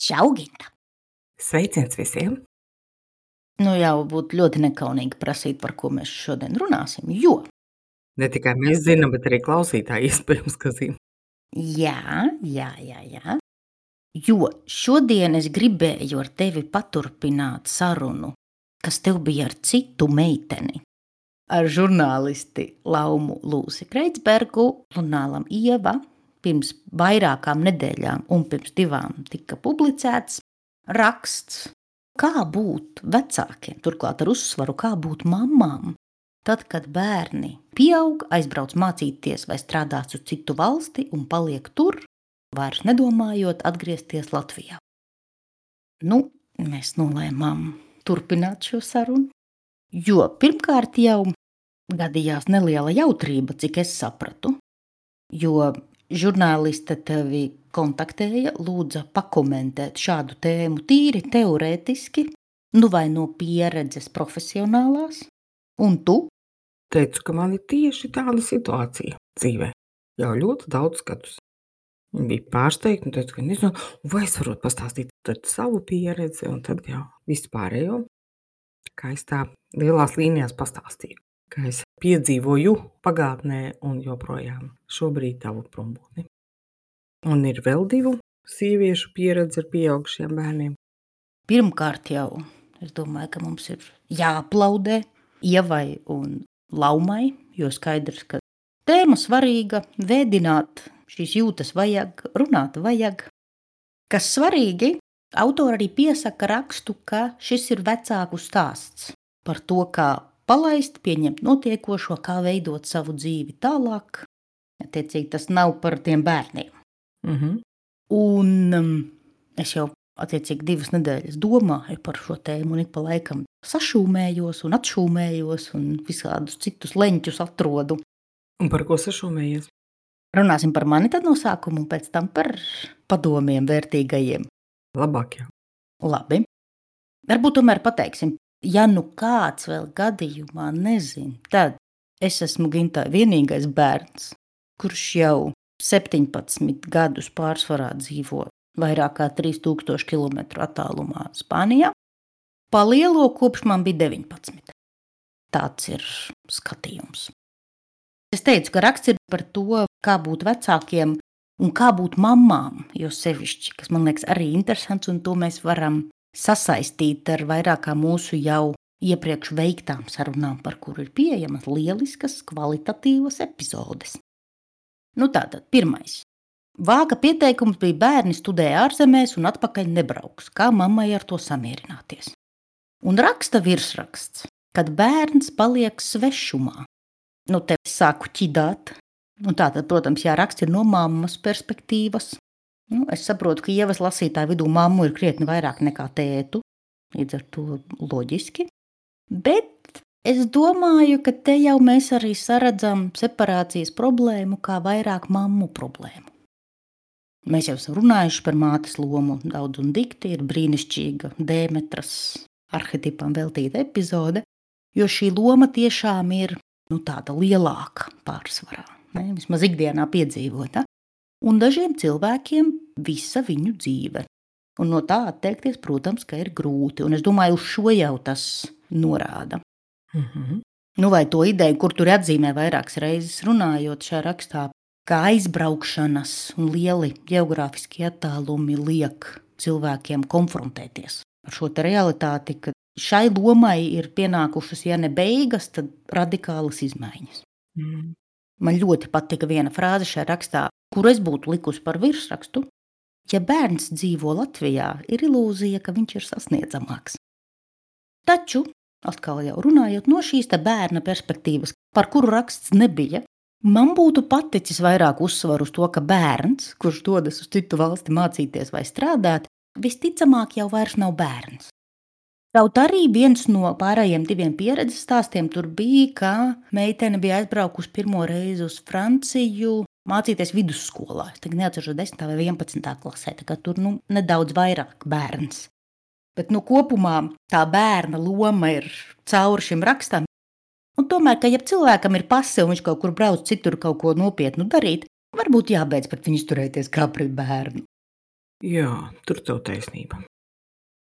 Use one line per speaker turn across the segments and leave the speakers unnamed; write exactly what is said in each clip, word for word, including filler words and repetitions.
Čau, Ginta!
Sveiciens visiem!
Nu jau būtu ļoti nekaunīgi prasīt, par ko mēs šodien runāsim, jo...
Ne tikai mēs zinām, bet arī klausītāji iespējams, ka zina.
Jā, jā, jā, jā. Jo šodien es gribēju ar tevi paturpināt sarunu, kas tev bija ar citu meiteni. Ar žurnālisti Laumu Lūsi Kreitsbergu, žurnālam Ieva, pirms vairākām nedēļām un pirms divām tika publicēts raksts, kā būt vecākiem, turklāt ar uzsvaru, kā būt mamām, tad, kad bērni pieaug, aizbrauc mācīties vai strādāt uz citu valsti un paliek tur, vairs nedomājot atgriezties Latvijā. Nu, mēs nolēmām turpināt šo sarunu, jo pirmkārt jau gadījās neliela jautrība, cik es sapratu, jo žurnāliste tevi kontaktēja, lūdza pakomentēt šādu tēmu tīri teorētiski, nu vai no pieredzes profesionālās, un tu?
Teicu, ka man ir tieši tāda situācija dzīvē, jau ļoti daudz gadus. Viņa bija pārsteigta un teica, ka nezinu, vai es varu pastāstīt tad savu pieredzi un tad jau vispārējo, kā es tā lielās līnijās pastāstīju, kā es piedzīvoju pagātnē un joprojām šobrīd tavu prombūtni. Un ir vēl divu sieviešu pieredzi ar pieaugušiem bērniem.
Pirmkārt jau, es domāju, ka mums ir jāaplaudē Ievai un Laumai, jo skaidrs, ka tēma svarīga, vēdināt šīs jūtas vajag, runāt vajag. Kas svarīgi, autori arī piesaka rakstu, ka šis ir vecāku stāsts par to, kā palaist, pieņemt notiekošo, kā veidot savu dzīvi tālāk. Attiecīgi, tas nav par tiem bērniem.
Mhm.
Un um, es jau attiecīgi divas nedēļas domāju par šo tēmu un ik pa laikam sašūmējos un atšūmējos un visādus citus leņķus atrodu.
Un par ko sašūmējies?
Runāsim par mani tad no sākuma un pēc tam par padomiem vērtīgajiem.
Labāk jau.
Labi. Varbūt tomēr pateiksim, ja nu kāds vēl gadījumā nezin, tad es esmu Gintai vienīgais bērns, kurš jau septiņpadsmit gadus pārsvarā dzīvo vairāk kā trīs tūkstoši kilometru attālumā Spānijā. Palielo kopš man bija deviņpadsmit. Tāds ir skatījums. Es teicu, ka raksts ir par to, kā būt vecākiem un kā būt mamām, jo sevišķi, kas man liekas arī interesants, un to mēs varam sasaistīt ar vairākām mūsu jau iepriekš veiktām sarunām, par kuru ir pieejamas lieliskas, kvalitatīvas epizodes. Nu tātad, pirmais. Vāka pieteikums bija bērni studē ārzemēs un atpakaļ nebrauks, kā mammai ar to samierināties. Un raksta virsraksts, kad bērns paliek svešumā. Nu, te sāku ķidāt. Nu, tātad, protams, jāraksta ir no mammas perspektīvas. Nu, es saprotu, ka Ievas lasītāju vidū mammu ir krietni vairāk nekā tētu, līdz ar to loģiski. Bet es domāju, ka te jau mēs arī saredzam separācijas problēmu kā vairāk mammu problēmu. Mēs jau esam runājuši par mātes lomu daudz un dikti, ir brīnišķīga Dēmetras arhetipam veltīta epizode, jo šī loma tiešām ir nu, tāda lielāka pārsvarā, ne? Vismaz ikdienā piedzīvota. Un dažiem cilvēkiem visa viņu dzīve. Un no tā atteikties, protams, ka ir grūti. Un es domāju, uz šo jau tas norāda.
Mhm.
Nu, vai to ideju, kur tur atzīmē vairākas reizes runājot šajā rakstā, kā aizbraukšanas un lieli geogrāfiskie attālumi liek cilvēkiem konfrontēties ar šo te realitāti, ka šai lomai ir pienākušas, ja ne beigas, tad radikālas izmaiņas.
Mm.
Man ļoti patika viena frāze šajā rakstā, kuru es būtu likusi par virsrakstu. Ja bērns dzīvo Latvijā, ir ilūzija, ka viņš ir sasniedzamāks. Taču, atkal jau runājot no šīs te bērna perspektīvas, par kuru raksts nebija, man būtu paticis vairāk uzsvaru uz to, ka bērns, kurš dodas uz citu valsti mācīties vai strādāt, visticamāk jau vairs nav bērns. Kaut arī viens no pārējiem diviem pieredzes stāstiem tur bija, ka meitene bija aizbraukusi pirmo reizi uz Franciju mācīties vidusskolā. Es tagad neatceros desmitā vai vienpadsmitā klasē, tā kā tur nu, nedaudz vairāk bērns. Bet nu, kopumā tā bērna loma ir cauri šim rakstam. Un tomēr, ka ja cilvēkam ir pase un viņš kaut kur brauc citur kaut ko nopietnu darīt, varbūt jābeidz pret viņu izturēties kā pret bērnu.
Jā, tur tev taisnība.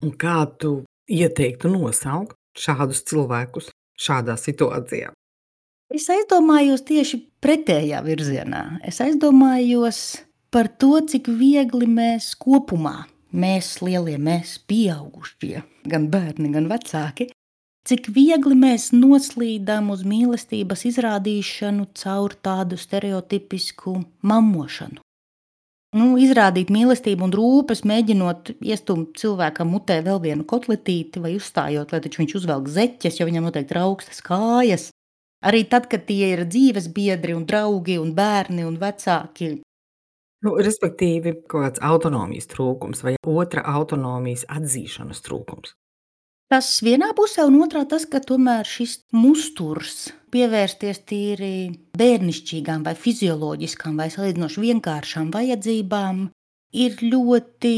Un kā tu ieteiktu nosaukt šādus cilvēkus šādā situācijā?
Es aizdomājos tieši pretējā virzienā. Es aizdomājos par to, cik viegli mēs kopumā, mēs lielie, mēs pieaugušie, gan bērni, gan vecāki, cik viegli mēs noslīdām uz mīlestības izrādīšanu caur tādu stereotipisku mammošanu. Nu, izrādīt mīlestību un rūpes, mēģinot iestumt cilvēkam mutē vēl vienu kotletīti vai uzstājot, lai taču viņš uzvelk zeķes, jo viņam noteikti ir augstas kājas. Arī tad, kad tie ir dzīves biedri un draugi un bērni un vecāki.
Nu, respektīvi, kaut kāds autonomijas trūkums vai otra autonomijas atzīšanas trūkums.
Tas vienā pusē, un otrā tas, ka tomēr šis musturs pievērsties tīri bērnišķīgām vai fizioloģiskām vai salīdzinoši vienkāršām vajadzībām ir ļoti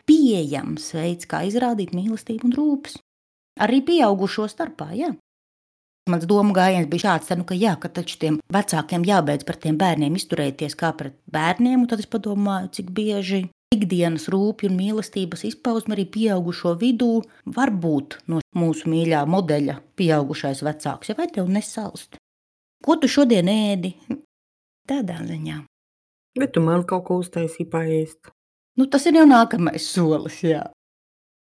pieejams veids, kā izrādīt mīlestību un rūpes. Arī pieaugušo starpā, jā. Mans domu gājiens bija šāds, nu, ka jā, ka taču tiem vecākiem jābeidz par tiem bērniem izturēties kā pret bērniem, un tad es padomāju, cik bieži ikdienas rūpju un mīlestības izpausme arī pieaugušo vidū var būt no mūsu mīļā modeļa pieaugušais vecāks, ja vai tev nesalst? Ko tu šodien ēdi? Tādā ziņā.
Bet tu man kaut ko uztaisīji paēst.
Nu, tas ir jau nākamais solis, jā.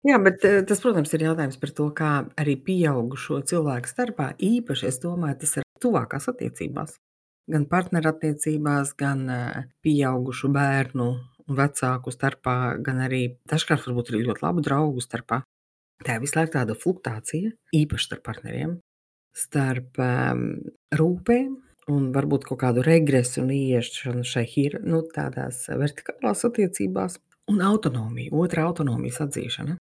Jā, bet tas, protams, ir jautājums par to, kā arī pieaugušo cilvēku starpā, īpaši, es domāju, tas ir tuvākās attiecībās. Gan partnerattiecībās, gan pieaugušu bērnu un vecāku starpā, gan arī dažkārt varbūt arī ļoti labu draugu starpā. Tā ir visu laiku tāda fluktuācija, īpaši starp partneriem, starp um, rūpēm un varbūt kaut kādu regresu un ieiešanu šai hir, nu, tādās vertikālās attiecībās un autonomiju, otra autonomijas atzīšana.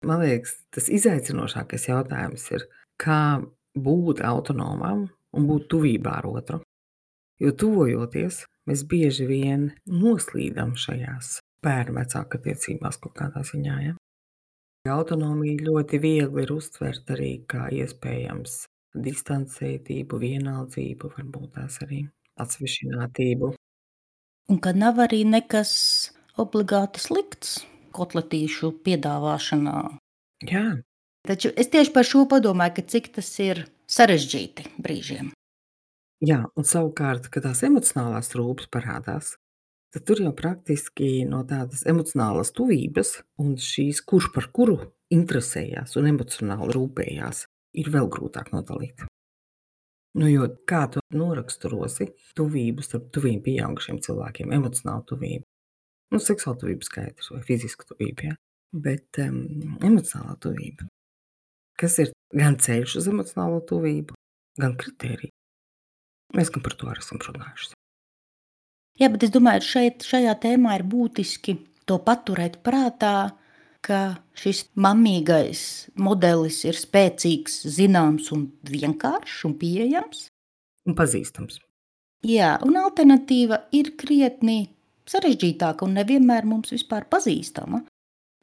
Man liekas, tas izaicinošākais jautājums ir, kā būt autonomam un būt tuvībā ar otru. Jo tuvojoties, mēs bieži vien noslīdam šajās bērnu vecāku attiecībās kaut kādā ziņā. Ja? Autonomija ļoti viegli ir uztvert arī kā iespējams distancētību, vienaldzību, varbūt tās arī atsvešinātību.
Un ka nav arī nekas obligāti slikts kotletīšu piedāvāšanā.
Jā.
Taču es tieši par šo padomāju, ka cik tas ir sarežģīti brīžiem.
Jā, un savukārt, kad tās emocionālās rūpes parādās, tad tur jau praktiski no tādas emocionālas tuvības un šīs, kurš par kuru interesējās un emocionāli rūpējās, ir vēl grūtāk nodalīt. Nu, jo kā tu noraksturosi tuvību starp tuviem pieaugušiem cilvēkiem, emocionālu tuvību? Nu, seksuāla tuvība skaidrs vai fiziska tuvība, ja? Bet um, emocionālā tuvība. Kas ir gan ceļš uz emocionālo tuvību, gan kritērija. Mēs gan par to arī esam runājuši.
Jā, bet es domāju, šeit, šajā tēmā ir būtiski to paturēt prātā, ka šis mammīgais modelis ir spēcīgs, zināms un vienkāršs un pieejams.
Un pazīstams.
Jā, un alternatīva ir krietni sarežģītāka un nevienmēr mums vispār pazīstama.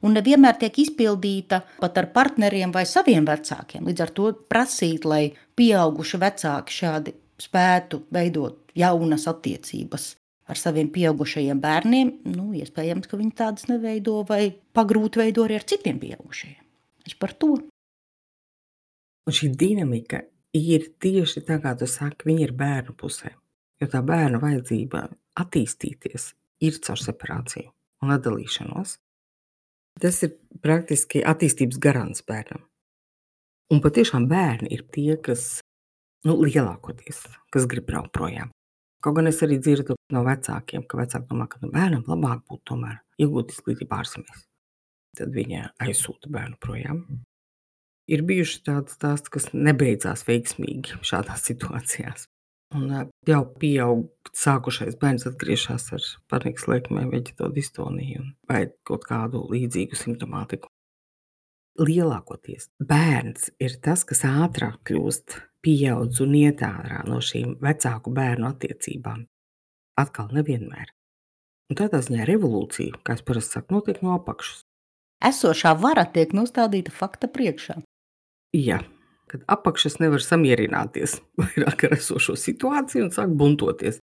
Un nevienmēr tiek izpildīta pat ar partneriem vai saviem vecākiem. Līdz ar to prasīt, lai pieauguši vecāki šādi spētu veidot jaunas attiecības ar saviem pieaugušajiem bērniem, nu, iespējams, ka viņi tādas neveido vai pagrūti veido arī ar citiem pieaugušajiem. Es par to.
Un šī dinamika ir tieši tā, kā tu saki, viņi ir bērnu pusē. Jo tā bērnu vajadzība attīstīties ir caur separāciju un atdalīšanos. Tas ir praktiski attīstības garants bērnam. Un patiešām bērni ir tie, kas, nu, lielākoties, kas grib braukt projām. Kaut gan es arī dzirdu no vecākiem, ka vecāki domā, ka no bērnam labāk būtu tomēr iegūt izglītību ārzemēs. Tad viņi aizsūta bērnu projām. Ir bijuši tādi stāsti, kas nebeidzās veiksmīgi šādās situācijās. Un jau pieaugt sākušais bērns atgriežas ar panikas liekmēm, veģetodistoniju vai kaut kādu līdzīgu simptomātiku. Lielākoties bērns ir tas, kas ātrāk kļūst pieaudz un iet ārā no šīm vecāku bērnu attiecībām. Atkal nevienmēr. Un tādā ziņā revolūcija, kā es parasti saku, notiek no apakšas.
Esošā vara tiek nostādīta fakta priekšā.
Jā, kad apakšas nevar samierināties vairāk ar esošo situāciju un sāk buntoties.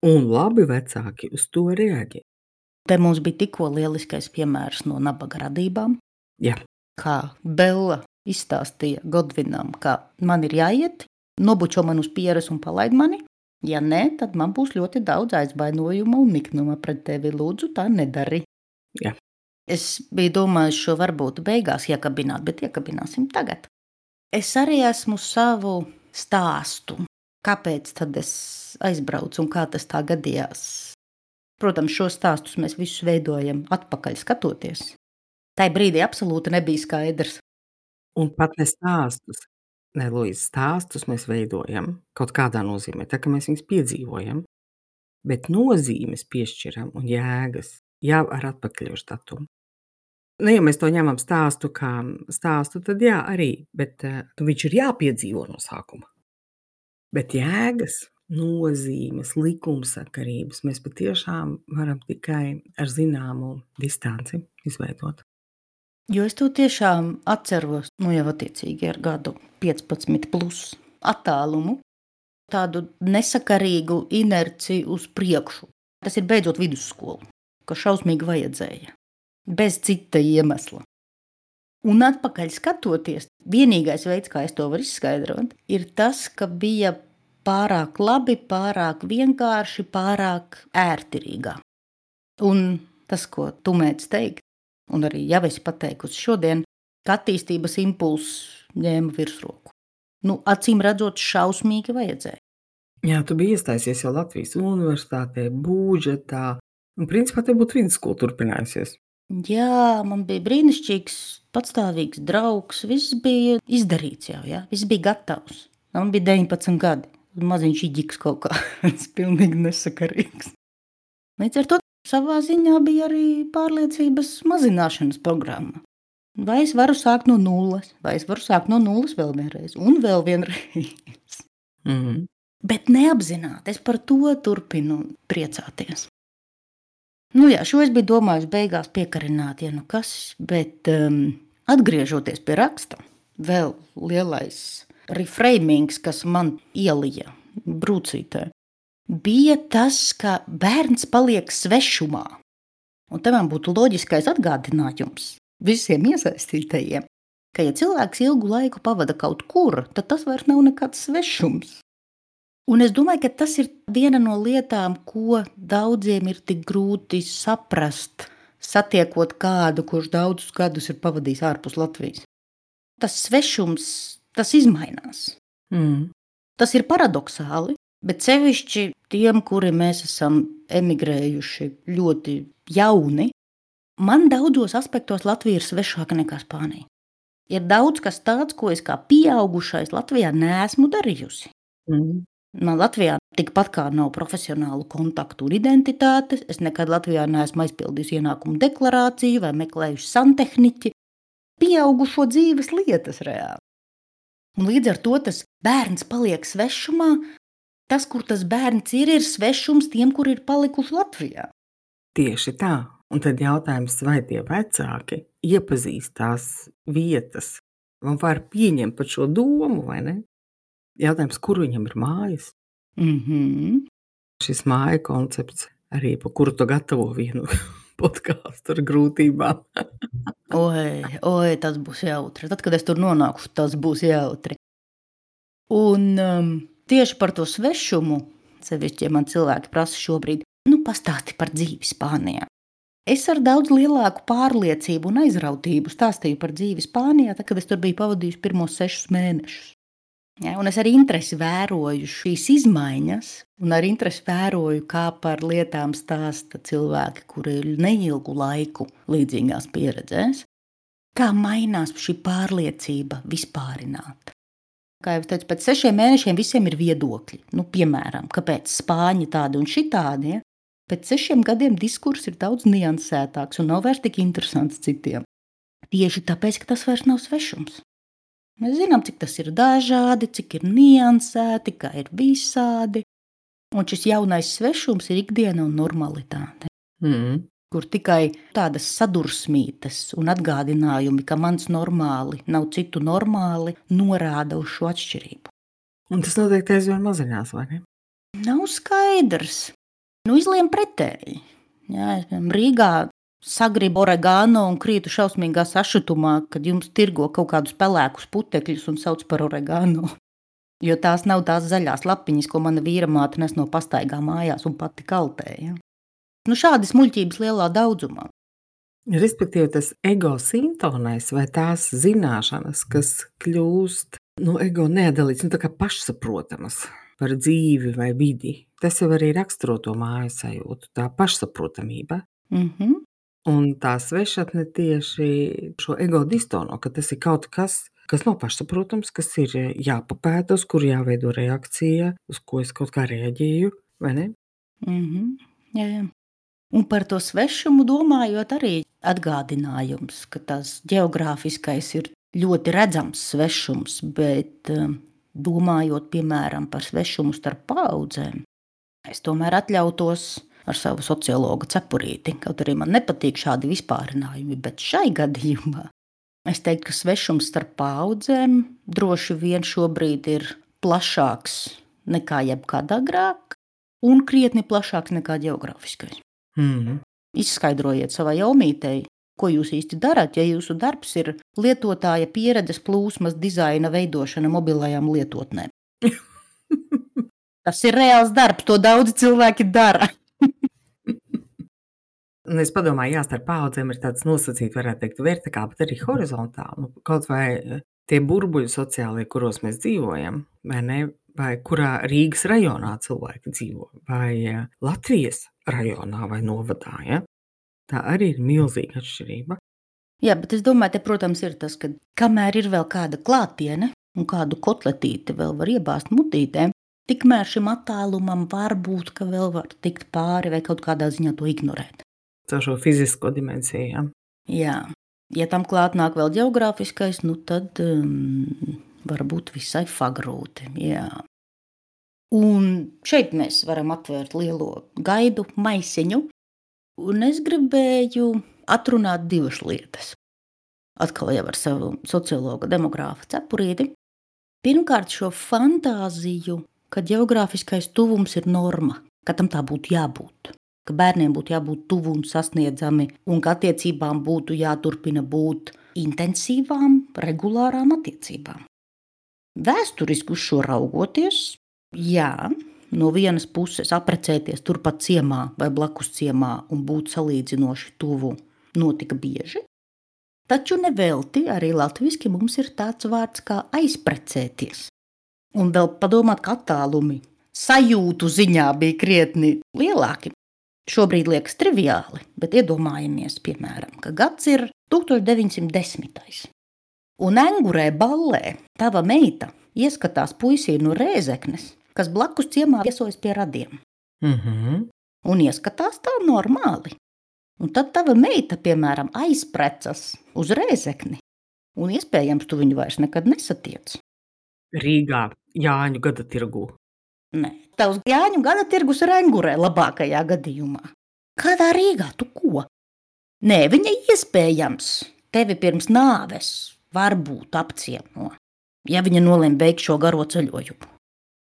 Un labi vecāki uz to reaģē.
Te mums bija tikko lieliskais piemērs no nabaga radībām.
Jā.
Kā Bella izstāstīja Godvinam, ka man ir jāiet, nobučo man uz pieres un palaid mani. Ja nē, tad man būs ļoti daudz aizbainojuma un niknuma pret tevi. Lūdzu, tā nedari.
Jā.
Es biju domājis šo varbūt beigās iekabināt, bet iekabināsim tagad. Es arī esmu savu stāstu. Kāpēc tad es aizbraucu un kā tas tā gadījās? Protams, šos stāstus mēs visus veidojam atpakaļ skatoties. Tai brīdī absolūti nebija skaidrs.
Un pat ne stāstus. Ne, Luīza, stāstus mēs veidojam kaut kādā nozīmē, tā kā mēs viņus piedzīvojam, bet nozīmes piešķiram un jēgas jau ar atpakaļošu datumu. Nu, ja mēs to ņemam stāstu kā stāstu, tad jā, arī, bet nu, viņš ir jāpiedzīvo no sākuma. Bet jēgas, nozīmes, likumsakarības mēs patiešām varam tikai ar zināmu distanci izveidot.
Jo es to tiešām atceros, nu jau attiecīgi ar gadu piecpadsmit plus attālumu, tādu nesakarīgu inerciju uz priekšu. Tas ir beidzot vidusskolu, ka šausmīgi vajadzēja, bez cita iemesla. Un atpakaļ skatoties, vienīgais veids, kā es to varu izskaidrot, ir tas, ka bija pārāk labi, pārāk vienkārši, pārāk ērtirīgā. Un tas, ko tu mēdz teikt, un arī jau esi pateikusi šodien, ka attīstības impulss ņēma virsroku. Nu, acīm redzot, šausmīgi vajadzēja.
Jā, tu biji iestājusies jau Latvijas universitātē, budžetā, un principā te būtu vidusskola turpinājusies.
Jā, man bija brīnišķīgs, patstāvīgs draugs, viss bija izdarīts jau, jā, viss bija gatavs. Man bija deviņpadsmit gadi, maziņš iģiks kaut kā, tas pilnīgi nesakarīgs. Līdz ar to savā ziņā bija arī pārliecības mazināšanas programma. Vai es varu sākt no nulles, vai es varu sākt no nulles vēl vienreiz, un vēl vienreiz.
Mhm.
Bet neapzināti, es par to turpinu priecāties. Nu jā, šo es biju domājis beigās piekarināt, ja nu kas, bet um, atgriežoties pie raksta, vēl lielais reframings, kas man ielija brūcītē, bija tas, ka bērns paliek svešumā. Un te man būtu loģiskais atgādinājums visiem iesaistītajiem, ka ja cilvēks ilgu laiku pavada kaut kur, tad tas vairs nav nekāds svešums. Un es domāju, ka tas ir viena no lietām, ko daudziem ir tik grūti saprast, satiekot kādu, kurš daudzus gadus ir pavadījis ārpus Latvijas. Tas svešums, tas izmainās.
Mm.
Tas ir paradoxāli, bet sevišķi tiem, kuri mēs esam emigrējuši ļoti jauni, man daudzos aspektos Latvija ir svešāka nekā Spānija. Ir daudz kas tāds, ko es kā pieaugušais Latvijā neesmu darījusi.
Mm.
Man Latvijā tikpat kā nav profesionālu kontaktu un identitātes, es nekad Latvijā neesmu aizpildījusi ienākumu deklarāciju vai meklējuši santehniķi, pieaugušo dzīves lietas reāli. Un līdz ar to tas bērns paliek svešumā, tas, kur tas bērns ir, ir svešums tiem, kur ir palikuši Latvijā.
Tieši tā. Un tad jautājums, vai tie vecāki iepazīst tās vietas, un var pieņemt pat šo domu, vai ne? Jautājums, kur viņam ir mājas?
Mhm.
Šis māja koncepts arī, pa kuru tu gatavo vienu podcastu ar grūtībām.
Oi, oi, tas būs jautri. Tad, kad es tur nonākušu, tas būs jautri. Un um, tieši par to svešumu, sevišķi, ja man cilvēki prasa šobrīd, nu pastāsti par dzīvi Spānijā. Es ar daudz lielāku pārliecību un aizrautību stāstīju par dzīvi Spānijā, tad, kad es tur biju pavadījusi pirmos sešus mēnešus. Ja, un es ar interesi vēroju šīs izmaiņas, un ar interesi vēroju, kā par lietām stāsta cilvēki, kuri ir neilgu laiku līdzīgās pieredzēs, kā mainās šī pārliecība vispārināt. Kā jau es teicu, pēc sešiem mēnešiem visiem ir viedokļi. Nu, piemēram, kāpēc Spāņi tādi un šitādi, ja? Pēc sešiem gadiem diskurss ir daudz niansētāks un nav vairs tik interesants citiem. Tieši tāpēc, ka tas vairs nav svešums. Mēs zinām, cik tas ir dažādi, cik ir niansēti, kā ir visādi. Un šis jaunais svešums ir ikdiena un normalitāte.
Mm.
Kur tikai tādas sadursmītes un atgādinājumi, ka mans normāli nav citu normāli, norāda uz šo atšķirību.
Un tas noteikti aizvien mazinās, vai ne?
Nav skaidrs. Nu, izliem pretēji. Jā, es piemēram Rīgā sagribu oregano un krītu šausmīgā sašutumā, kad jums tirgo kaut kādus pelēkus putekļus un sauc par oregano. Jo tās nav tās zaļās lapiņas, ko mana vīra māte nes no pastaigā mājās un pati kaltēja. Nu, šādi smuļķības lielā daudzumā.
Respektīvi, tas ego sintonēs vai tās zināšanas, kas kļūst no ego neatdalīts, nu tā kā pašsaprotamas par dzīvi vai vidi. Tas jau arī raksturo to mājas sajūtu, tā pašsaprotamība.
Mhm.
Un tā svešatne tieši šo ego distono, ka tas ir kaut kas, kas nav pašsaprotams, kas ir jāpapēta, uz kur jāveido reakcija, uz ko es kaut kā reaģēju, vai ne?
Mhm. Jā, jā. Un par to svešumu domājot arī atgādinājums, ka tas geogrāfiskais ir ļoti redzams svešums, bet um, domājot, piemēram, par svešumu starp paudzēm, es tomēr atļautos ar savu sociologa cepurīti, kaut arī man nepatīk šādi vispārinājumi, bet šai gadījumā es teiktu, ka svešums starp paudzēm droši vien šobrīd ir plašāks nekā jebkad agrāk un krietni plašāks nekā geogrāfiskais.
Mm.
Izskaidrojiet savai omītei, ko jūs īsti darat, ja jūsu darbs ir lietotāja pieredzes plūsmas dizaina veidošana mobilajām lietotnēm. Tas ir reāls darbs, to daudzi cilvēki dara.
Un es padomāju, jā, starp paudzēm ir tāds nosacīts, varētu teikt, vertikāli, bet arī horizontāli. Nu, kaut vai tie burbuļi sociālie, kuros mēs dzīvojam, vai ne? Vai kurā Rīgas rajonā cilvēki dzīvo, vai Latvijas rajonā vai novadā, ja? Tā arī ir milzīga atšķirība.
Jā, bet es domāju, te, protams, ir tas, ka kamēr ir vēl kāda klātiene un kādu kotletīti vēl var iebāzt mutītē, tikmēr šim attālumam var būt, ka vēl var tikt pāri vai kaut kādā ziņā to ignorēt.
Caur šo fizisko dimensiju, ja?
Jā, ja tam klāt nāk vēl geogrāfiskais, nu tad um, varbūt visai fagrūti, jā. Un šeit mēs varam atvērt lielo gaidu maisiņu, un es gribēju atrunāt divas lietas. Atkal jau ar savu sociologa demogrāfa cepurīti. Pirmkārt, šo fantāziju, ka geogrāfiskais tuvums ir norma, ka tam tā būtu jābūt, ka bērniem būtu jābūt tuvu un sasniedzami, un ka attiecībām būtu jāturpina būt intensīvām, regulārām attiecībām. Vēsturiski uz šo raugoties, jā, no vienas puses aprecēties turpat ciemā vai blakus ciemā un būt salīdzinoši tuvu notika bieži, taču nevelti arī latviski mums ir tāds vārds kā aizprecēties. Un vēl padomāt, ka attālumi sajūtu ziņā bija krietni lielāki. Šobrīd liekas triviāli, bet iedomājamies, piemēram, ka gads ir tūkstoš deviņsimt desmitais. Un Engurē ballē tava meita ieskatās puisī no Rēzeknes, kas blakus ciemā viesojas pie radiem.
Mm-hmm.
Un ieskatās tā normāli. Un tad tava meita, piemēram, aizprecas uz Rēzekni, un iespējams tu viņu vairs nekad nesatiec.
Rīgā, Jāņu gada tirgū.
Nē, tavs Jāņu gada tirgus ir Engurē labākajā gadījumā. Kādā Rīgā tu ko? Nē, viņa iespējams tevi pirms nāves varbūt apciemo, ja viņa nolem veikt šo garo ceļojumu.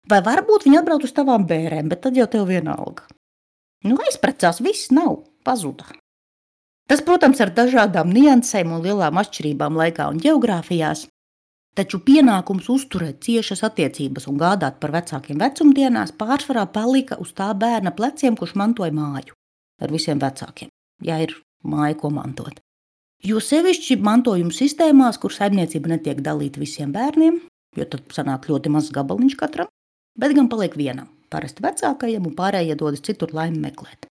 Vai varbūt viņa atbrauc uz tavām bērēm, bet tad jau tev vienalga. Nu, aizprecās, viss nav, pazuda. Tas, protams, ar dažādām niansēm un lielām atšķirībām laikā un geogrāfijās, taču pienākums uzturēt ciešas attiecības un gādāt par vecākiem vecumdienās pārsvarā palika uz tā bērna pleciem, kurš mantoja māju ar visiem vecākiem, ja ir māja, ko mantot. Jo sevišķi mantojuma sistēmās, kur saimniecība netiek dalīta visiem bērniem, jo tad sanāk ļoti mazs gabaliņš katram, bet gan paliek vienam, parasti vecākajam, un pārējie dodas citur laimi meklēt.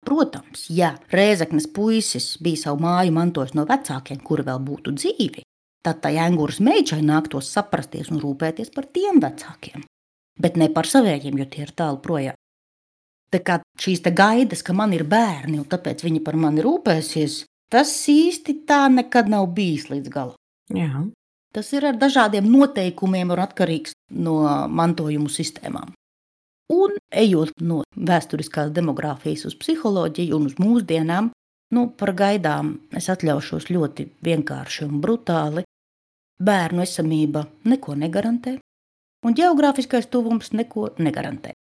Protams, ja Rēzeknes puisis bija savu māju mantojis no vecākiem, kuri vēl būtu dzīvi, tad tai Enguras meičai nāktos saprasties un rūpēties par tiem vecākiem, bet ne par savējiem, jo tie ir tālu projām. Tā kā šīs te gaidas, ka man ir bērni, un tāpēc viņi par mani rūpēsies, tas īsti tā nekad nav bijis līdz galam.
Jā.
Tas ir ar dažādiem noteikumiem un atkarīgs no mantojumu sistēmām. Un ejot no vēsturiskās demogrāfijas uz psiholoģiju un uz mūsdienām, nu, par gaidām es atļaušos ļoti vienkārši un brutāli. Bērnu esamība neko negarantē, un geogrāfiskais tuvums neko negarantē.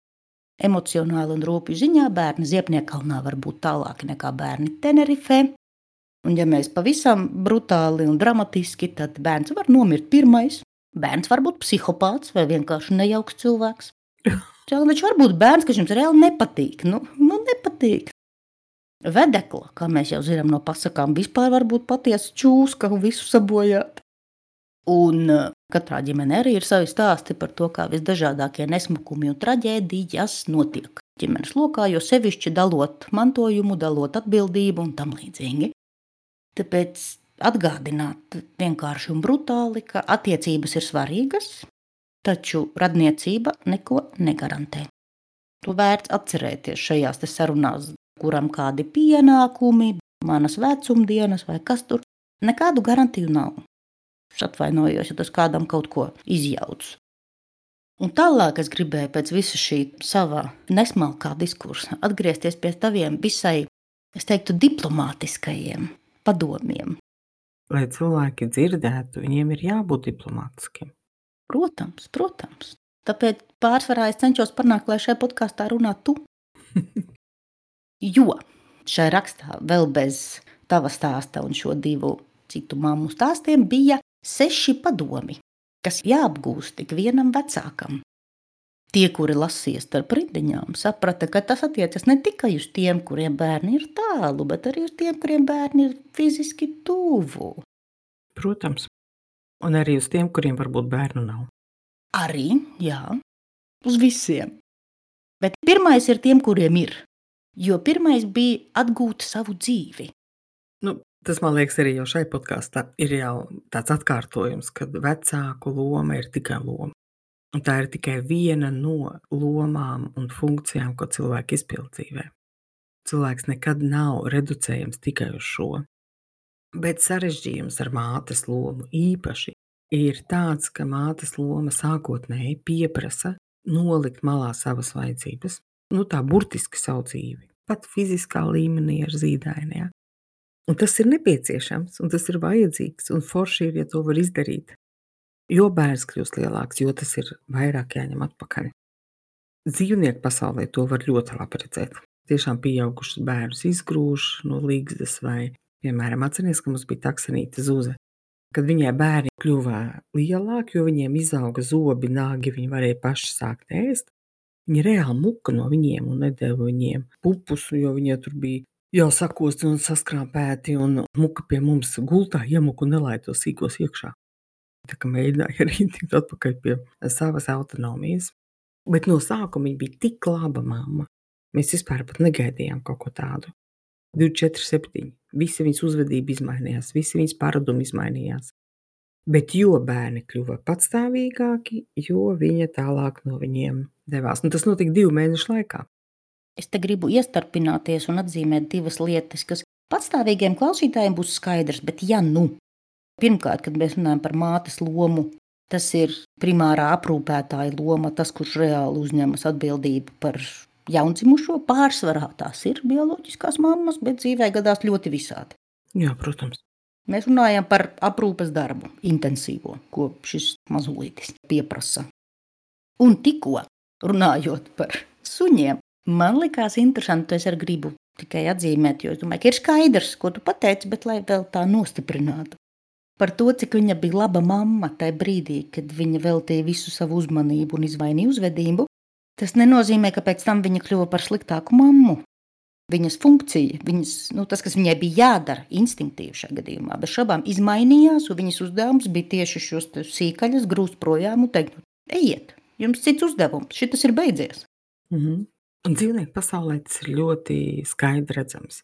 Emocionāli un rūpju ziņā bērni Ziepniekalnā var būt tālāki nekā bērni Tenerifē. Un ja mēs pavisam brutāli un dramatiski, tad bērns var nomirt pirmais. Bērns var būt psihopāts vai vienkārši nejauks cilvēks. Viņš var būt bērns, kas jums reāli nepatīk. Nu, nu nepatīk. Vedekla, kā mēs jau zinām no pasakām, vispār var būt patiesa čūska un visu sabojāt. Un katrā ģimenē arī ir savi stāsti par to, kā visdažādākie nesmukumi un traģēdijas notiek ģimenes lokā, jo sevišķi dalot mantojumu, dalot atbildību un tam līdzīgi. Tāpēc atgādināt vienkārši un brutāli, ka attiecības ir svarīgas, taču radniecība neko negarantē. To vērts atcerēties šajās te sarunās, kuram kādi pienākumi, manas vecumdienas vai kas tur, nekādu garantiju nav. Es atvainojos, ja tas kādam kaut ko izjauc. Un tālāk es gribēju pēc visa šī savā nesmalkā diskursa atgriezties pie taviem visai, es teiktu, diplomātiskajiem padomiem.
Lai cilvēki dzirdētu, viņiem ir jābūt diplomātiskiem.
Protams, protams. Tāpēc pārsvarā es cenšos panākt, lai šajā podkāstā runā tu. Jo šai rakstā vēl bez tava stāsta un šo divu citu mammu stāstiem bija seši padomi, kas jāapgūst tik vienam vecākam. Tie, kuri lasīja starp rindiņām, saprata, ka tas attiecas ne tikai uz tiem, kuriem bērni ir tālu, bet arī uz tiem, kuriem bērni ir fiziski tuvu.
Protams. Un arī uz tiem, kuriem varbūt bērnu nav.
Arī, jā, uz visiem. Bet pirmais ir tiem, kuriem ir. Jo pirmais bija atgūt savu dzīvi.
Nu, tas, man liekas, arī jau šai podkāstā ir jau tāds atkārtojums, kad vecāku loma ir tikai loma. Un tā ir tikai viena no lomām un funkcijām, ko cilvēki izpild dzīvē. Cilvēks nekad nav reducējams tikai uz šo. Bet sarežģījums ar mātes lomu īpaši ir tāds, ka mātes loma sākotnēji pieprasa nolikt malā savas vajadzības, nu tā burtiski savu dzīvi, pat fiziskā līmenī ar zīdaini. Ja? Un tas ir nepieciešams, un tas ir vajadzīgs, un forši ir, ja to var izdarīt. Jo bērns kļūst lielāks, jo tas ir vairāk jāņem atpakaļ. Dzīvnieku pasaulē to var ļoti labi redzēt. Tiešām pieaugušus bērnus izgrūž no līgzdas vai, piemēram, atceries, ka mums bija taksenīte Zuze. Kad viņai bērni kļuva lielāki, jo viņiem izauga zobi, nāgi, viņi varēja paši sākt ēst, viņi reāli muka no viņiem un nedeva viņiem pupus, jo viņiem tur bija jau sakosti un saskrāpēti un muka pie mums gultā iemuka un nelaid tos sīkos iekšā. Tā kā mēģināja arī tikt atpakaļ pie savas autonomijas. Bet no sākuma viņa bija tik laba mamma. Mēs vispār pat negaidījām kaut ko tādu. divdesmit četri septiņi. Visi viņas uzvedība izmainījās, visi viņas paradumi izmainījās. Bet jo bērni kļuva patstāvīgāki, jo viņa tālāk no viņiem devās. Un tas notika divu mēnešu laikā.
Es te gribu iestarpināties un atzīmēt divas lietas, kas patstāvīgiem klausītājiem būs skaidrs, bet ja nu. Pirmkārt, kad mēs runājam par mātes lomu, tas ir primārā aprūpētāja loma, tas, kurš reāli uzņemas atbildību par jaundzimušo. Pārsvarā tās ir bioloģiskās mammas, bet dzīvē gadās ļoti visādi.
Jā, protams.
Mēs runājam par aprūpes darbu, intensīvo, ko šis mazulītis pieprasa. Un tikko runājot par suņiem, man likās interesanti, es arī gribu tikai atzīmēt, jo es domāju, ka ir skaidrs, ko tu pateici, bet lai vēl tā nostiprinātu. Par to, cik viņa bija laba mamma tajā brīdī, kad viņa veltīja visu savu uzmanību un izvainīja uzvedību, tas nenozīmē, ka pēc tam viņa kļuva par sliktāku mammu. Viņas funkcija, viņas, nu, tas, kas viņai bija jādara instinktīvi šajā gadījumā, bez šabām izmainījās, un viņas uzdevums bija tieši šos sīkaļas grūst projām un teikt, ejiet, jums cits uzdevums, šitas ir beidzies.
Mhm. Un dzīvnieku pasaulē tas ir ļoti skaidri redzams.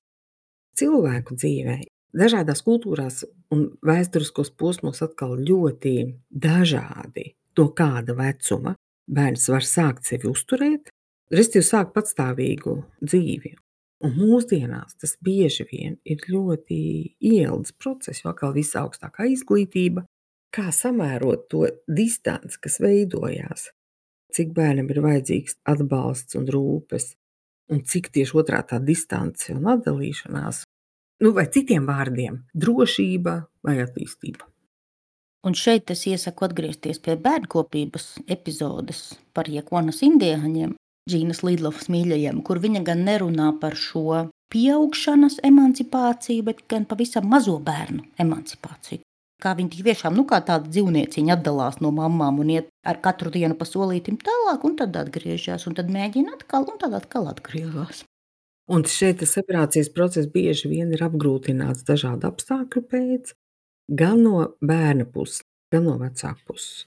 Cilvēku dzīvē dažādās kultūrās un vēsturiskos posmos atkal ļoti dažādi no kāda vecuma bērns var sākt sevi uzturēt, respektīvi sākt patstāvīgu dzīvi. Un mūsdienās tas bieži vien ir ļoti ielgs process, jo atkal viss augstākā izglītība, kā samērot to distanci, kas veidojās, cik bērnam ir vajadzīgs atbalsts un rūpes, un cik tieši otrā tā distance un atdalīšanās, nu vai citiem vārdiem, drošība vai attīstība.
Un šeit es iesaku atgriezties pie bērnkopības epizodes par Jekvonas indiehaņiem, Džīnas Lidlovas mīļajiem, kur viņa gan nerunā par šo pieaugšanas emancipāciju, bet gan pavisam mazo bērnu emancipāciju. Kā viņi tik tiešām, nu kā tāda dzīvnieciņa atdalās no mammām un iet ar katru dienu pa solītim tālāk, un tad atgriežas, un tad mēģina atkal, un tad atkal atgriežas.
Un šeit tas separācijas process bieži vien ir apgrūtināts dažādu apstākļu pēc, gan no bērna puses, gan no vecāku puses.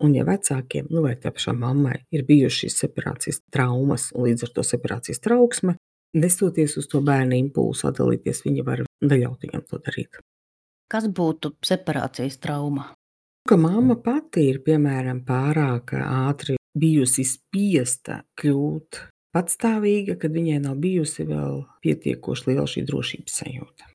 Un ja vecākiem, nu vai tā pašā mammai, ir bijušas šīs separācijas traumas un līdz ar to separācijas trauksme, nestoties uz to bērna impulsu atdalīties, viņa var neļaut viņam to darīt.
Kas būtu separācijas trauma?
Ka mamma pati ir, piemēram, pārāk ātri bijusi spiesta kļūt patstāvīga, kad viņai nav bijusi vēl pietiekoši liela šī drošības sajūta.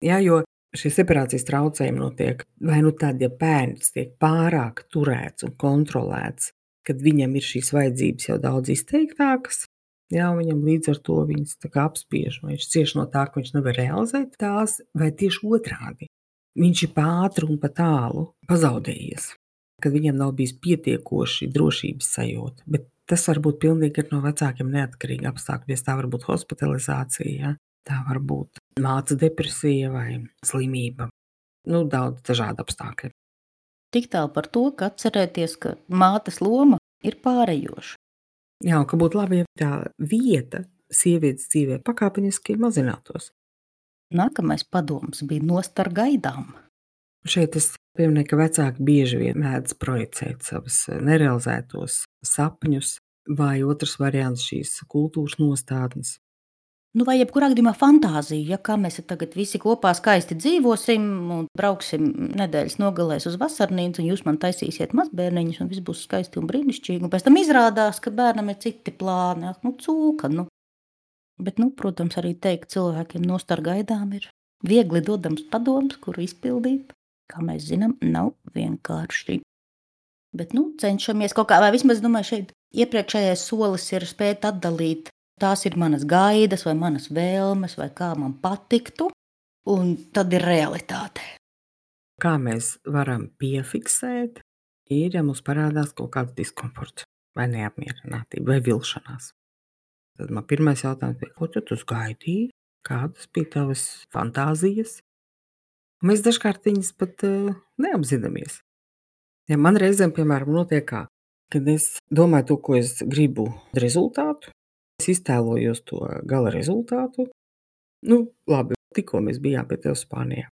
Jā, jo šie separācijas traucējumi notiek vai nu tad, ja bērns tiek pārāk turēts un kontrolēts, kad viņam ir šīs vajadzības jau daudz izteiktākas, jā, un viņam līdz ar to viņas tā kā apspiež, vai viņš cieš no tā, ka viņš nevar realizēt tās, vai tieši otrādi. Viņš ir pa ātru un pa tālu pazaudējies, kad viņam nav bijis pietiekoši drošības sajūta, bet tas var būt pilnīgi no vecākiem neatkarīgi apstākļi, tā var būt hospitalizācija, ja? Tā var būt mātes depresija vai slimība, nu daudz dažādu apstākļu.
Tik tālu par to, ka atcerēties, ka mātes loma ir pārējoša.
Jā, ka būtu labi, ja tā vieta sievietes dzīvē pakāpeniski mazinātos.
Nākamais padoms bija nost ar gaidām.
Šeit es pieminēju, ka vecāki bieži vien mēdz projicēt savas nerealizētos sapņus, vai otrs variants šīs kultūras nostādnes.
Nu, vai jebkurā gadījumā fantāzija, ja kā mēs tagad visi kopā skaisti dzīvosim un brauksim nedēļas nogalēs uz vasarnīcu, un jūs man taisīsiet mazbērniņus, un viss būs skaisti un brīnišķīgi, un pēc tam izrādās, ka bērnam ir citi plāni, nu, cūka, nu. Bet, nu, protams, arī teikt cilvēkiem nost ar gaidām ir viegli dodams padoms, kuru izpildīt, kā mēs zinām, nav vienkārši. Bet, nu, cenšamies kaut kā, vai vismaz, domāju, šeit iepriekšējais solis ir spēt atdalīt, tās ir manas gaidas vai manas vēlmes vai kā man patiktu, un tad ir realitāte.
Kā mēs varam piefiksēt, ir, ja mums parādās kaut kāds diskomforts vai neapmierinātība vai vilšanās. Tad man pirmais jautājums bija, ko tu tu gaidīji? Kādas bija tavas fantāzijas? Un mēs dažkārt viņas pat uh, neapzināmies. Ja man reizēm, piemēram, notiek kā, kad es domāju to, ko es gribu rezultātu, es iztēlojos to gala rezultātu. Nu, labi, tikko mēs bijām pie tevis Spānijā.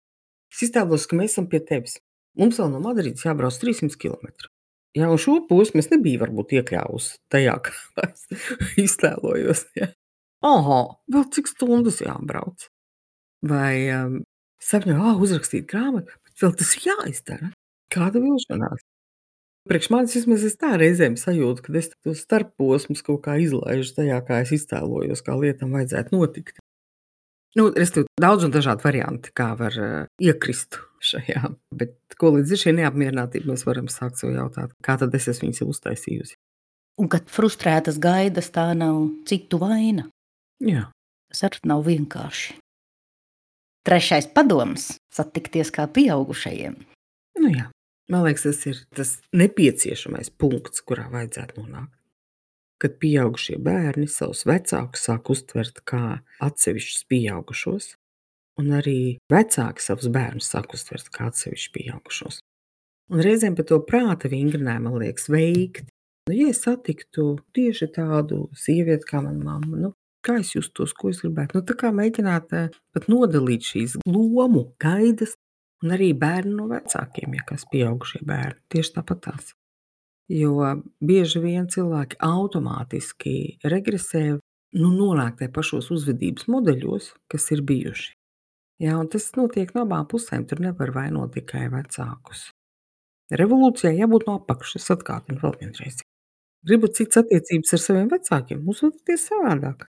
Es iztēlos, ka mēs esam pie tevis. Mums vēl no Madrides jābrauc trīssimti kilometri. Jā, un šo posmu es nebiju varbūt iekļāvusi tajā, kā es iztēlojos. Ja. Aha, vēl cik stundas jābrauc. Vai um, sapņoju, ah, uzrakstīt grāmatu, bet vēl tas jāizdara. Kāda vilšanās? Priekš manis vismaz es tā reizēm sajūtu, kad es tos starpposmus kaut kā izlaižu tajā, kā es iztēlojos, kā lietam vajadzētu notikt. Nu, es tur daudz un dažādi varianti, kā var uh, iekrist šajā, bet ko līdz ir šī neapmierinātība, mēs varam sākt sev jautāt, kā tad es esmu viņas uztaisījusi.
Un kad frustrētas gaidas, tā nav citu vaina.
Jā.
Tas arī nav vienkārši. Trešais padoms – satikties kā pieaugušajiem.
Nu jā, man liekas, tas ir tas nepieciešamais punkts, kurā vajadzētu nonākt. Kad pieaugušie bērni savus vecākus sāk uztvert kā atsevišķus pieaugušos, un arī vecāki savus bērnus sāk uztvert kā atsevišķus pieaugušos. Un reizēm par to prāta vingrinājumu man liekas veikt. Nu, ja es satiktu tieši tādu sievieti kā mana mamma, nu, kā es justos, ko es gribētu, nu, tā kā mēģināt pat nodalīt šīs lomu gaidas, un arī bērni no vecākiem, ja kas pieaugušie bērni, tieši tāpat tās. Jo bieži vien cilvēki automātiski regresē, nu, nonāk tajā pašos uzvedības modeļos, kas ir bijuši. Jā, un tas notiek no abām pusēm, tur nevar vainot tikai vecākus. Revolūcijai jābūt no apakšas, atkārtinu vēl vienreiz. Gribat citas attiecības ar saviem vecākiem, uzvedieties savādāk.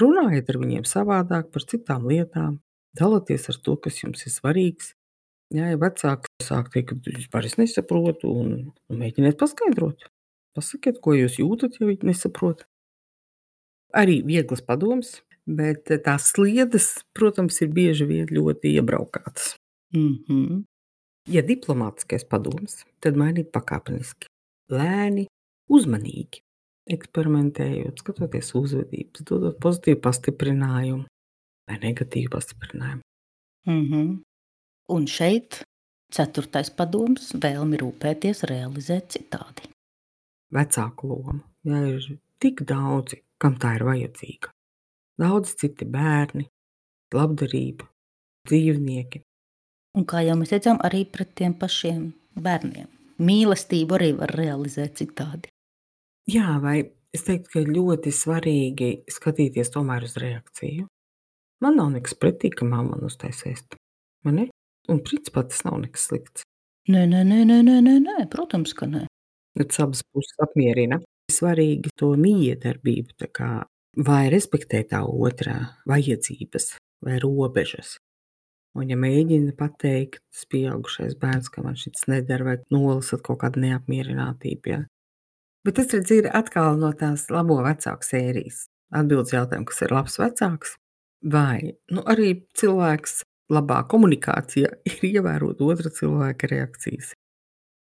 Runājiet ar viņiem savādāk par citām lietām, dalieties ar to, kas jums ir svarīgs. Jā, ja vecāki sāk teikt, ka vispār es nesaprotu, un, un mēģiniet paskaidrot. Pasakiet, ko jūs jūtat, ja viņi nesaprot. Arī vieglas padoms, bet tās sliedes, protams, ir bieži vien ļoti iebraukātas.
Mm-hmm.
Ja diplomātiskais padoms, tad mainīt pakāpeniski, lēni, uzmanīgi. eksperimentējot, skatoties uzvedības, dodot pozitīvu pastiprinājumu vai negatīvu pastiprinājumu.
Mhm. Un šeit ceturtais padoms - vēlmi rūpēties, realizēt citādi.
Vecāku lomu. Ja ir tik daudzi, kam tā ir vajadzīga. Daudz citi bērni, labdarība, dzīvnieki.
Un kā jau mēs redzam, arī pret tiem pašiem bērniem. Mīlestību arī var realizēt citādi.
Jā, vai es teiktu, ka ļoti svarīgi skatīties tomēr uz reakciju. Man nav nekas pretī, ka mamma man uztaisa ēst. Man ne? Un principā tas nav nekas slikts.
Nē, nē, nē, nē, nē, nē, nē, protams, ka nē.
Tas abas puses apmierina. Svarīgi to miedarbību, tā kā vai respektēt tā otrā vajadzības vai robežas. Un ja mēģina pateikt tas pieaugušais bērns, ka man šis nedara, vai nolasat kaut kādu neapmierinātību, ja. Bet tas, redz, ir atkal no tās labo vecāku sērijas. Atbildes jautājumu, kas ir labs vecāks, vai nu, arī cilvēks labā komunikācijā ir ievērot otra cilvēka reakcijas.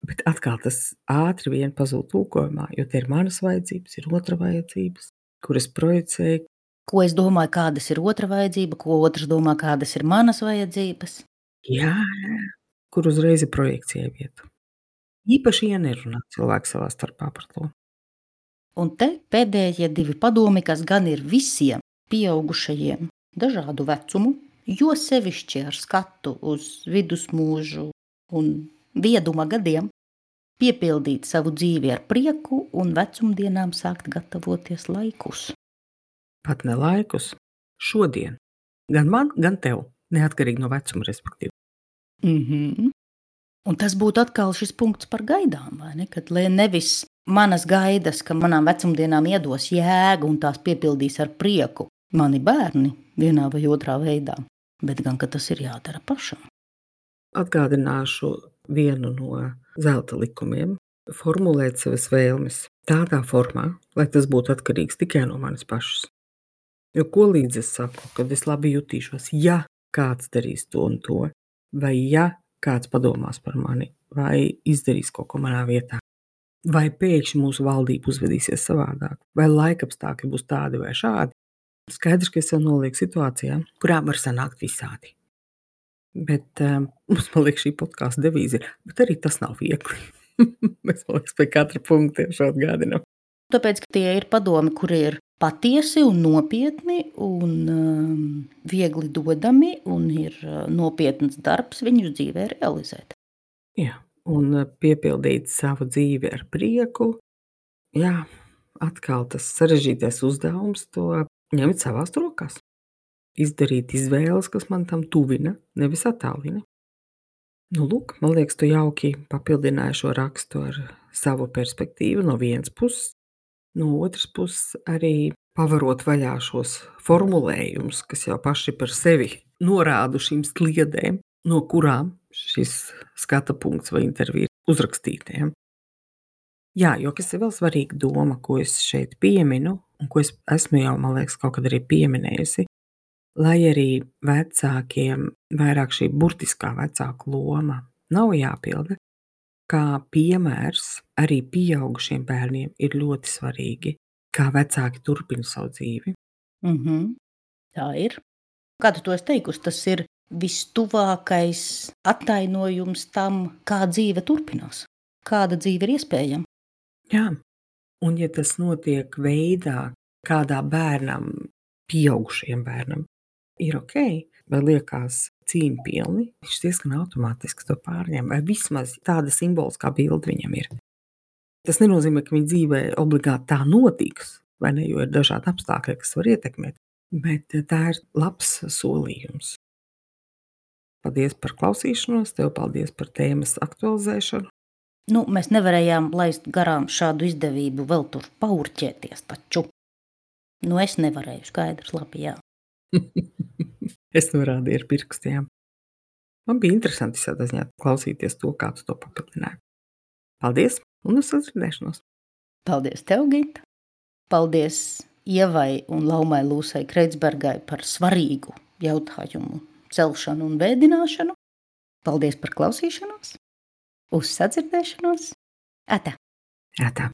Bet atkal tas ātri vien pazūd tulkojumā, jo te ir manas vajadzības, ir otra vajadzības, kuras projicēju.
Ko es domāju, kādas ir otra vajadzība, ko otrs domā, kādas ir manas vajadzības.
Jā, jā, kur uzreiz ir projekcija vieta. Īpaši, ja nerunā cilvēki savā starpā par to.
Un te pēdējie divi padomi, kas gan ir visiem pieaugušajiem dažādu vecumu, jo sevišķi ar skatu uz vidusmūžu un vieduma gadiem, piepildīt savu dzīvi ar prieku un vecumdienām sākt gatavoties laikus.
Pat ne laikus, šodien. Gan man, gan tev, neatkarīgi no vecuma, respektīvi.
Mhm. Un tas būtu atkal šis punkts par gaidām, vai ne? Kad nevis manas gaidas, ka manām vecumdienām iedos jēgu un tās piepildīs ar prieku mani bērni vienā vai otrā veidā, bet gan, ka tas ir jādara pašam.
Atgādināšu vienu no zelta likumiem - formulēt savas vēlmes tādā formā, lai tas būtu atkarīgs tikai no manis pašas. Jo ko līdz es saku, kad es labi jutīšos, ja kāds darīs to un to, vai ja kāds padomās par mani, vai izdarīs kaut ko manā vietā, vai pēkšņi mūsu valdība uzvedīsies savādāk, vai laikapstākļi būs tādi vai šādi. Skaidrs, ka es jau nolieku situācijā, kurā var sanākt visādi. Bet um, mums, man liekas, šī podkāsta devīze ir, bet arī tas nav viegli. Mēs, man liekas, pie katra punkta tiešām atgādinām.
Tāpēc, ka tie ir padomi, kuri ir patiesi un nopietni un um, viegli dodami, un ir uh, nopietns darbs viņus dzīvē realizēt.
Jā, un piepildīt savu dzīvi ar prieku. Jā, atkal tas sarežģītais uzdevums to ņemt savās rokās. Izdarīt izvēles, kas man tam tuvina, nevis attālina. Nu, lūk, man liekas, tu jauki papildināji šo rakstu ar savu perspektīvu no vienas puses. No otras puses arī pavarot vaļā šos formulējumus, kas jau paši par sevi norāda šīm sliedēm, no kurām šis skata punkts vai intervija ir uzrakstītiem. Jā, jo kas ir vēl svarīga doma, ko es šeit pieminu, un ko es esmu jau, man liekas, kaut kad arī pieminējusi, lai arī vecākiem vairāk šī burtiskā vecāku loma nav jāpilda, kā piemērs arī pieaugušiem bērniem ir ļoti svarīgi, kā vecāki turpina savu dzīvi.
Mhm. Tā ir. Kā tu to esi teikusi, tas ir vistuvākais attainojums tam, kā dzīve turpinās, kāda dzīve ir iespējama.
Jā, un ja tas notiek veidā, kādā bērnam, pieaugušajam bērnam, ir ok, vai liekas cīņpilni, viņš diezgan automātiski to pārņem, vai vismaz tāda simboliskā bilde viņam ir. Tas nenozīmē, ka viņa dzīvē obligāti tā notiks, vai ne, jo ir dažādi apstākļi, kas var ietekmēt, bet tā ir labs solījums. Paldies par klausīšanos, tev paldies par tēmas aktualizēšanu.
Nu, mēs nevarējām laist garām šādu izdevību vēl tur paurķēties taču. Nu, es nevarēju, skaidrs, labi, jā.
Es norādīju ar pirkstiem. Man bija interesanti tādā ziņā klausīties to, kā tu to papildināji. Paldies un uz sadzirdēšanos.
Paldies tev, Gita. Paldies Ievai un Laumai Lūsai Kreitsbergai par svarīgu jautājumu celšanu un vēdināšanu. Paldies par klausīšanos. Uz sadzirdēšanos. Atā.
Atā.